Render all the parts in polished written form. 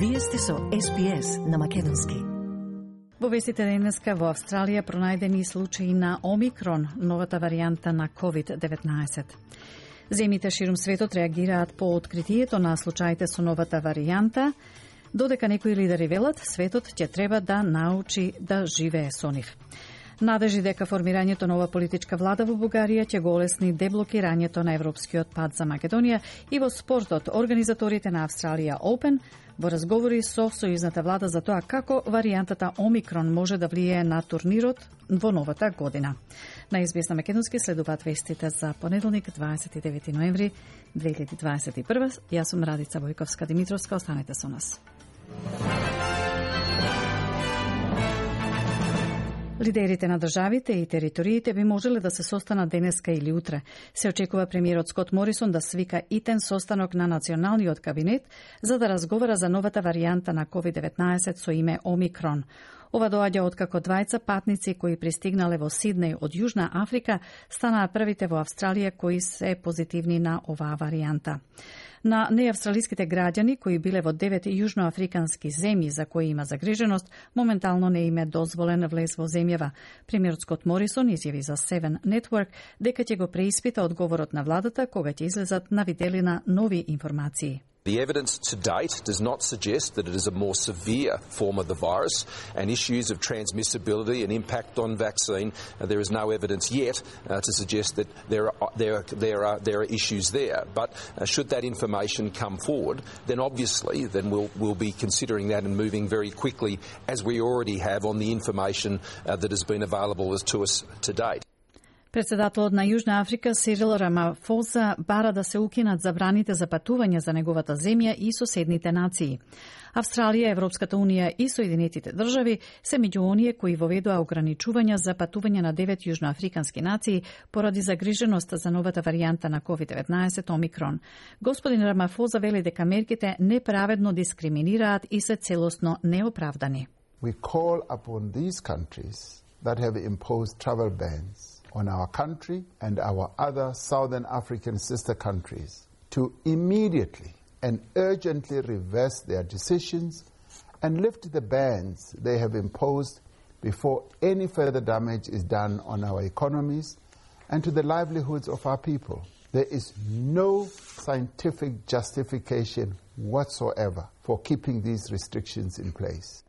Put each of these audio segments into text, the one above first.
Вие сте со SPS на македонски. Во вестите денеска во Австралија пронајдени случаи на Омикрон, новата варијанта на COVID-19. Земјите ширум светот реагираат по откритието на случаите со новата варијанта, додека некои лидери велат светот ќе треба да научи да живее со нив. Надежи дека формирањето нова политичка влада во Бугарија ќе го олесни деблокирањето на европскиот пат за Македонија и во спортот организаторите на Австралија Open во разговори со сојузната влада за тоа како варијантата Омикрон може да влијае на турнирот во новата година. На SBS на македонски следуваат вестите за понеделник 29 ноември 2021. Јас сум Радица Војковска-Димитровска, останете со нас. Лидерите на државите и териториите би можеле да се состанат денеска или утре. Се очекува премиерот Скот Морисон да свика итен состанок на националниот кабинет за да разговара за новата варијанта на COVID-19 со име Омикрон. Ова доаѓа откако двајца патници кои пристигнале во Сиднеј од Јужна Африка станаа првите во Австралија кои се позитивни на оваа варијанта. На неавстралиските граѓани кои биле во 9 јужноафрикански земји за кои има загриженост, моментално не им е дозволен влез во земјава. Премиерот Скот Морисон изјави за Seven Network дека ќе го преиспита одговорот на владата кога ќе излезат на виделина нови информации. The evidence to date does not suggest that it is a more severe form of the virus, and issues of transmissibility and impact on vaccine, there is no evidence yet to suggest that there are issues there. But should that information come forward, then obviously we'll be considering that and moving very quickly, as we already have on the information that has been available to us to date. Председателот на Јужна Африка Сирил Рамафоза бара да се укинат забраните за патување за неговата земја и соседните нации. Австралија, Европската унија и Соединетите држави се меѓу оние кои воведоа ограничувања за патување на 9 јужноафрикански нации поради загриженост за новата варијанта на COVID-19 Омикрон. Господин Рамафоза вели дека мерките неправедно дискриминираат и се целосно неоправдани. We call upon these countries that have imposed travel bans on our country and our other Southern African sister countries to immediately and urgently reverse their decisions and lift the bans they have imposed before any further damage is done on our economies and to the livelihoods of our people. There is no scientific justification whatsoever for keeping these restrictions in place.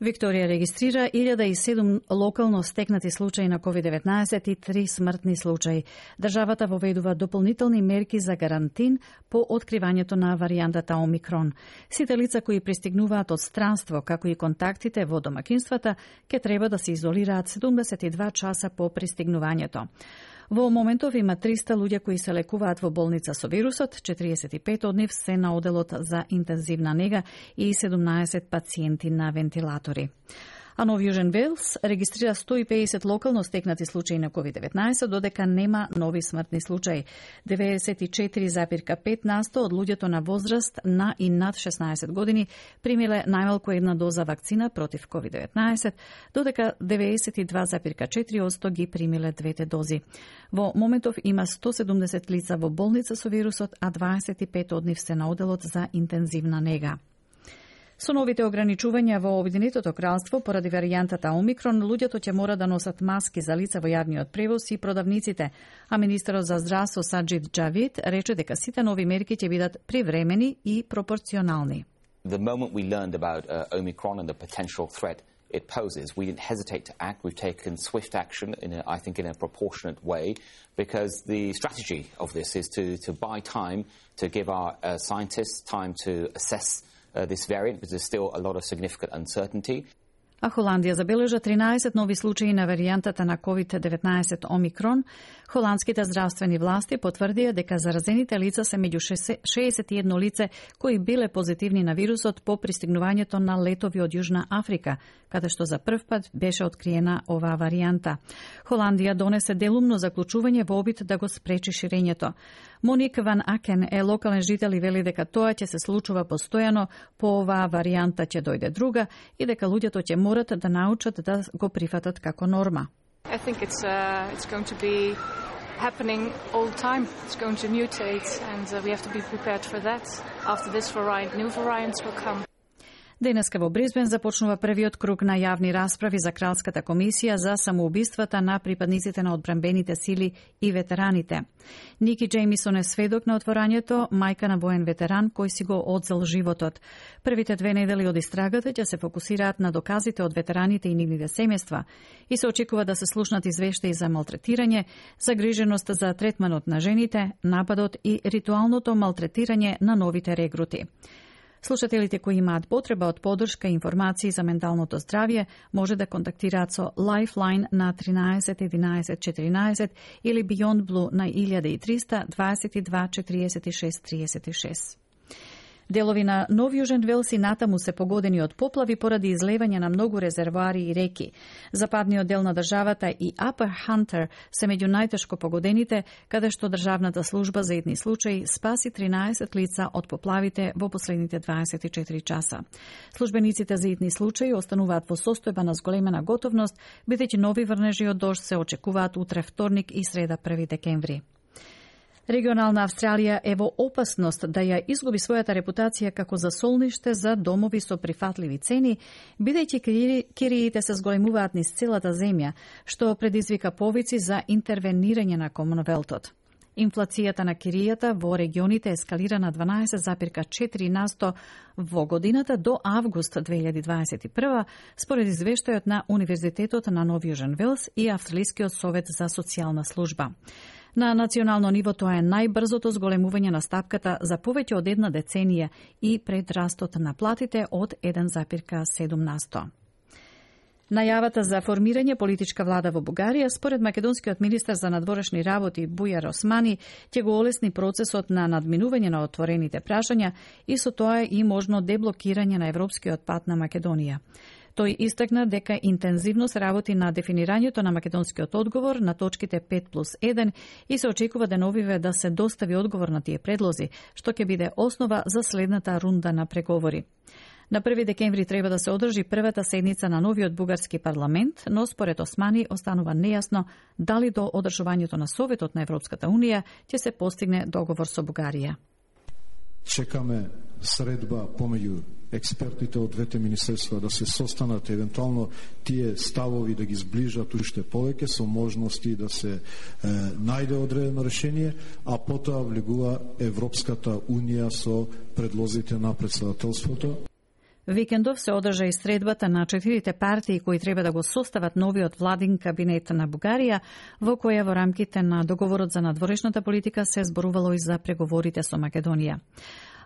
Викторија регистрира 1007 локално стекнати случаи на COVID-19 и 3 смртни случаи. Државата воведува дополнителни мерки за карантин по откривањето на варијантата Омикрон. Сите лица кои пристигнуваат од странство, како и контактите во домакинствата, ќе треба да се изолираат 72 часа по пристигнувањето. Во моментов има 300 луѓе кои се лекуваат во болница со вирусот, 45 од нив се на оделот за интензивна нега и 17 пациенти на вентилатори. А Нов Јужен Велс регистрира 150 локално стекнати случаи на COVID-19, додека нема нови смртни случаи. 94,5% од луѓето на возраст на и над 16 години примиле најмалку една доза вакцина против COVID-19, додека 92,4% ги примиле двете дози. Во моментов има 170 лица во болница со вирусот, а 25 од нив се на оделот за интензивна нега. Со новите ограничувања во Обединетото кралство поради варијантата Омикрон, луѓето ќе мора да носат маски за лица во јавниот превоз и продавниците, а министерот за здравство Саџид Џавид рече дека сите нови мерки ќе бидат привремени и пропорционални. The moment we learned about Omicron and the potential threat it poses, we didn't hesitate to act. We've taken swift action I think in a proportionate way, because the strategy of this is to buy time, to give our scientists time to assess this variant, because there's still a lot of significant uncertainty. А Холандија забележа 13 нови случаи на варијантата на COVID-19 Омикрон. Холандските здравствени власти потврдија дека заразените лица се меѓу 61 лице кои биле позитивни на вирусот по пристигнувањето на летови од Јужна Африка, каде што за прв пат беше откриена оваа варијанта. Холандија донесе делумно заклучување во обид да го спречи ширењето. Моник Ван Акен е локален жител и вели дека тоа ќе се случува постојано, по оваа варијанта ќе дојде друга и дека луѓето ќе морат да научат да го прифатат како норма. I think it's going to be happening all the time. It's going to mutate and we have to be prepared for that. After this variant, new variants will come. Денеска во Брисбен започнува првиот круг на јавни расправи за Кралската комисија за самоубиствата на припадниците на одбранбените сили и ветераните. Ники Джеймисон е сведок на отворањето, мајка на воен ветеран кој си го одзел животот. Првите 2 недели од истрагата ќе се фокусираат на доказите од ветераните и нивните семејства и се очекува да се слушнат извештаи за малтретирање, загриженост за третманот на жените, нападот и ритуалното малтретирање на новите регрути. Слушателите кои имаат потреба од поддршка и информации за менталното здравје може да контактираат со Lifeline на 13 11 14 или Beyond Blue на 1300 22 46 36. Делови на Нов Јужен Велс и натаму се погодени од поплави поради излевање на многу резервоари и реки. Западниот дел на државата и Upper Hunter се меѓу најтешко погодените, каде што државната служба за итни случаи спаси 13 лица од поплавите во последните 24 часа. Службениците за итни случаи остануваат во состојба на зголемена готовност, бидејќи нови врнежи од дожд се очекуваат утре вторник и среда 1 декември. Регионална Австралија е во опасност да ја изгуби својата репутација како засолниште за домови со прифатливи цени, бидејќи кириите се зголемуваат низ целата земја, што предизвика повици за интервенирање на Комонвелтот. Инфлацијата на киријата во регионите ескалира на 12,4% во годината до август 2021, според извештајот на Универзитетот на Нов Јужен Велс и Австралискиот совет за социјална служба. На национално ниво тоа е најбрзото зголемување на стапката за повеќе од една деценија и пред растот на платите од 1,7%. Најавата за формирање политичка влада во Бугарија, според македонскиот министар за надворешни работи Бујар Османи, ќе го олесни процесот на надминување на отворените прашања и со тоа и можно деблокирање на европскиот пат на Македонија. Тој истакна дека интензивно се работи на дефинирањето на македонскиот одговор на точките 5+1 и се очекува деновиве да се достави одговор на тие предлози, што ќе биде основа за следната рунда на преговори. На 1 декември треба да се одржи првата седница на новиот бугарски парламент, но според Османи останува нејасно дали до одржувањето на Советот на Европската Унија ќе се постигне договор со Бугарија. Чекаме средба помеѓу експертите од двете министерства да се состанат, евентуално тие ставови да ги сближат уште повеќе со можности да се најде одредено решение, а потоа влегува Европската Унија со предлозите на председателството. Викендов се одржа и средбата на 4 партии кои треба да го состават новиот владин кабинет на Бугарија, во која во рамките на договорот за надворешната политика се зборувало и за преговорите со Македонија.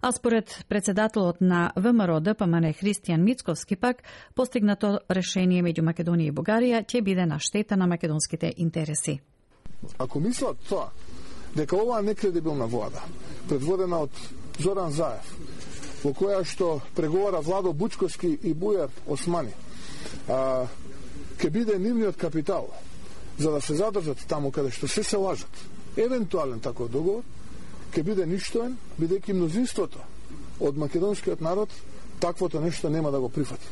А според председателот на ВМРО ДПМН Христијан Мицковски пак, постигнато решение меѓу Македонија и Бугарија ќе биде на штета на македонските интереси. Ако мислат тоа, дека оваа некредибилна влада, предводена од Зоран Заев, во која што преговара Владо Бучковски и Бујар Османи, ќе биде нивниот капитал за да се задржат таму каде што се лажат, евентуален таков договор, ќе биде ништоен, бидејќи мнозинството од македонскиот народ таквото нешто нема да го прифати.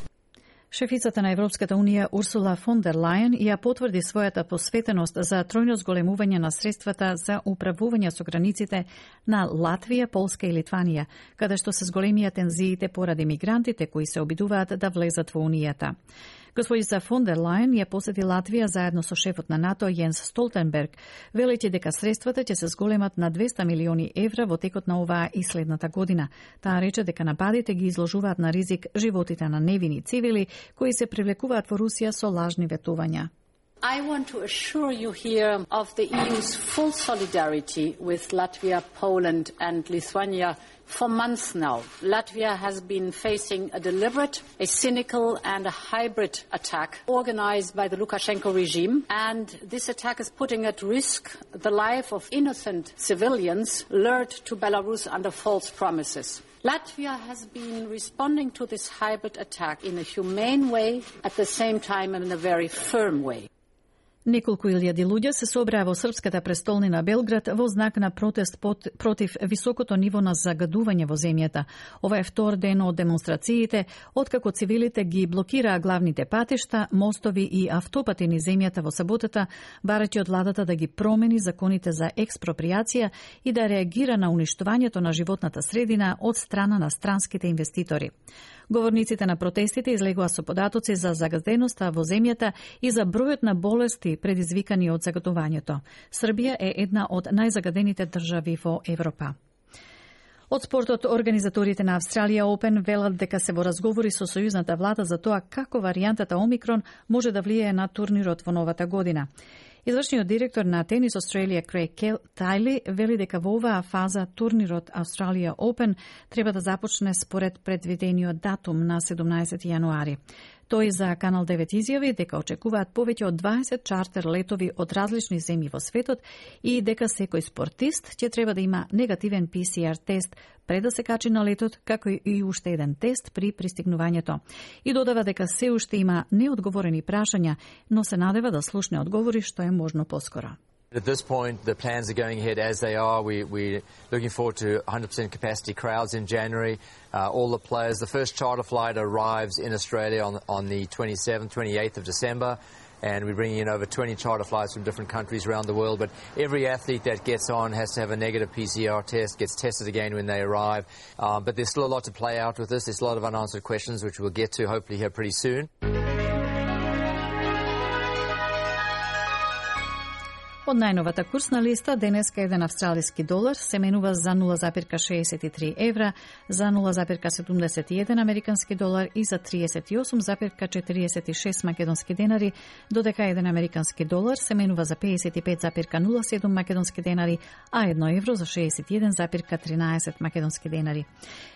Шефицата на Европската Унија Урсула фон дер Лајен ја потврди својата посветеност за тројно зголемување на средствата за управување со границите на Латвија, Полска и Литванија, каде што се зголемија тензиите поради мигрантите кои се обидуваат да влезат во Унијата. Господица фон дер Лајен ја посети Латвија заедно со шефот на НАТО Јенс Столтенберг, велејќи дека средствата ќе се зголемат на 200 милиони евра во текот на оваа и следната година. Таа рече дека нападите ги изложуваат на ризик животите на невини цивили кои се привлекуваат во Русија со лажни ветувања. I want to assure you here of the EU's full solidarity with Latvia, Poland and Lithuania for months now. Latvia has been facing a deliberate, a cynical and a hybrid attack organized by the Lukashenko regime, and this attack is putting at risk the life of innocent civilians lured to Belarus under false promises. Latvia has been responding to this hybrid attack in a humane way, at the same time in a very firm way. Неколку илјади луѓе се собраа во српската престолнина Белград во знак на протест против високото ниво на загадување во земјата. Ова е втор ден од демонстрациите, откако цивилите ги блокираа главните патишта, мостови и автопати низ земјата во саботата, барајќи од владата да ги промени законите за експроприација и да реагира на уништувањето на животната средина од страна на странските инвеститори. Говорниците на протестите излегува со податоци за загазеноста во земјата и за бројот на болести предизвикани од загадувањето. Србија е една од најзагадените држави во Европа. Од спортот, организаторите на Австралија Open велат дека се во разговори со сојузната влада за тоа како варијантата Омикрон може да влијае на турнирот во новата година. Извршниот директор на Тенис Australia Craig Tiley вели дека во оваа фаза турнирот Australia Open треба да започне според предвидениот датум на 17 јануари. Тој за Канал 9 изјави дека очекуваат повеќе од 20 чартер летови од различни земји во светот и дека секој спортист ќе треба да има негативен PCR тест пред да се качи на летот, како и уште еден тест при пристигнувањето. И додава дека се уште има неодговорени прашања, но се надева да слушне одговори што е можно поскоро. At this point, the plans are going ahead as they are. We're looking forward to 100% capacity crowds in January. All the players, the first charter flight arrives in Australia on the 27th, 28th of December, and we're bringing in over 20 charter flights from different countries around the world. But every athlete that gets on has to have a negative PCR test, gets tested again when they arrive. But there's still a lot to play out with this. There's a lot of unanswered questions, which we'll get to hopefully here pretty soon. Од најновата курсна листа, денеска еден австралиски долар се менува за 0,63 евра, за 0,71 американски долар и за 38,46 македонски денари, додека еден американски долар се менува за 55,07 македонски денари, а 1 евро за 61,13 македонски денари.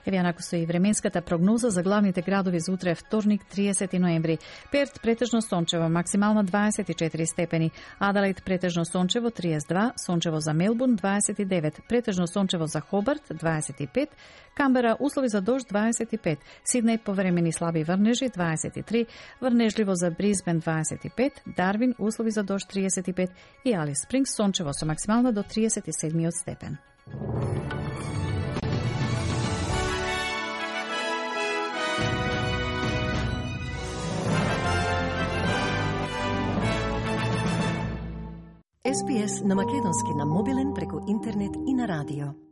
Еве анако со и временската прогноза за главните градови за утре вторник 30 ноември. Перт претежно сончево, максимална 24 степени, Аделаид претежно сончево 32, сончево за Мелбурн 29, претежно сончево за Хобарт 25, Камбера услови за дожд 25, Сиднеј повремени слаби врнежи 23, врнежливо за Брисбен 25, Дарвин услови за дожд 35 и Алис Спрингс сончево со максимална до 37 степен. SPS на македонски на мобилен преку интернет и на радио.